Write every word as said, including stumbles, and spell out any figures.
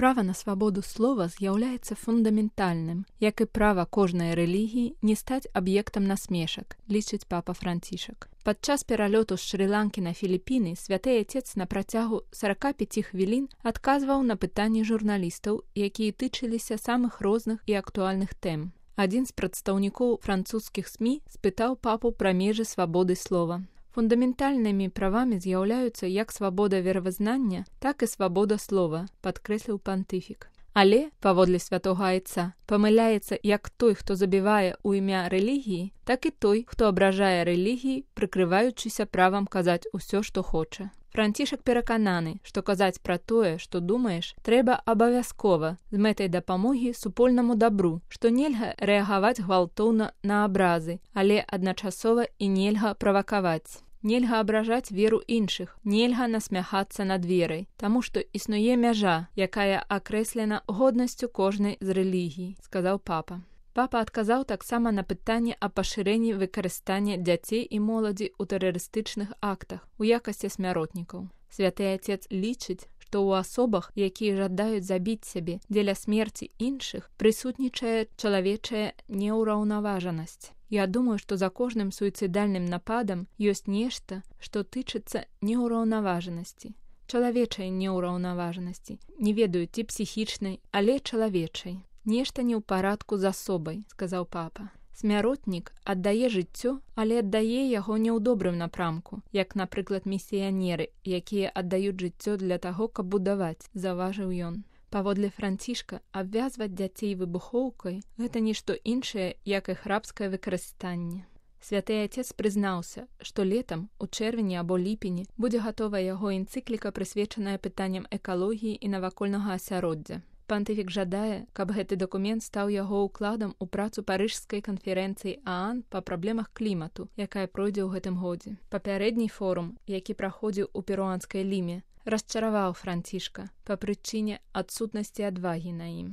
Права на свабоду слова з'яўляецца фундаментальным, як і права кожнай рэлігіі не стаць аб'ектам насмешак, лічыць папа Францішак. Падчас пералёту з Шры-Ланкі на Філіпіны святы Отец на працягу сорок пяць хвілін адказваў на пытанні журналістаў, якія тычыліся самых розных і актуальных тэм. Адзін з прадстаўнікоў французскіх СМІ спытаў папу пра межы свабоды слова. Фундаментальнымі правамі з'яўляюцца як свабода веравызнання, так і свабода слова, падкрэсліў пантыфік. Але, паводле святога Айца, памыляецца як той, хто забівае ў імя рэлігіі, так і той, хто абражае рэлігіі, прыкрываючыся правам казаць усё, што хоча. Францішак перакананы, што казаць пра тое, што думаеш, трэба абавязкова з мэтай дапамогі супольнаму дабру, што нельга рэагаваць гвалтоўна на абразы, але адначасова і нельга правакаваць. Нельга абражаць веру іншых, нельга насмяхацца над верай, таму што існуе мяжа, якая акрэслена годнасцю кожнай з рэлігій, сказаў папа. Папа адказаў таксама на пытанне аб пашырэнні выкарыстання дзяцей і моладзі ў тэрарыстычных актах у якасці смяротнікаў. Святы Отец лічыць, што ў асобах, якія жадаюць забіць сябе дзеля смерці іншых, прысутнічае чалавечая неўраўнаважанасць. Я думаю, што за кожным суіцыдальным нападам ёсць нешта, што тычыцца неўраўнаважанасці. Чалавечай неўраўнаважанасці, не ведаю, ці псіхічнай, але чалавечай. Нешта не ў парадку з асобай, сказаў папа. Смяротнік аддае жыццё, але аддае яго не ў добрым напрамку, як, напрыклад, місіянеры, якія аддаюць жыццё для таго, каб будаваць, заўважыў ён. Паводле Францішка, абвязваць дзяцей выбухоўкай – гэта нішто іншае, як і храбскае выкарыстанне. Святы Отец прызнаўся, што летам, у чэрвені або ліпені, будзе гатова яго энцыкліка, прысвечаная пытанням экалогіі і навакольнага асяроддзя. Пантыфік жадае, каб гэты дакумент стаў яго ўкладам у працу парыжскай канферэнцыі ААН па праблемах клімату, якая пройдзе ў гэтым годзе. Папярэдні форум, які праходзіў у перуанскай Ліме, расчараваў Францішка па прычыне адсутнасці адвагі на ім.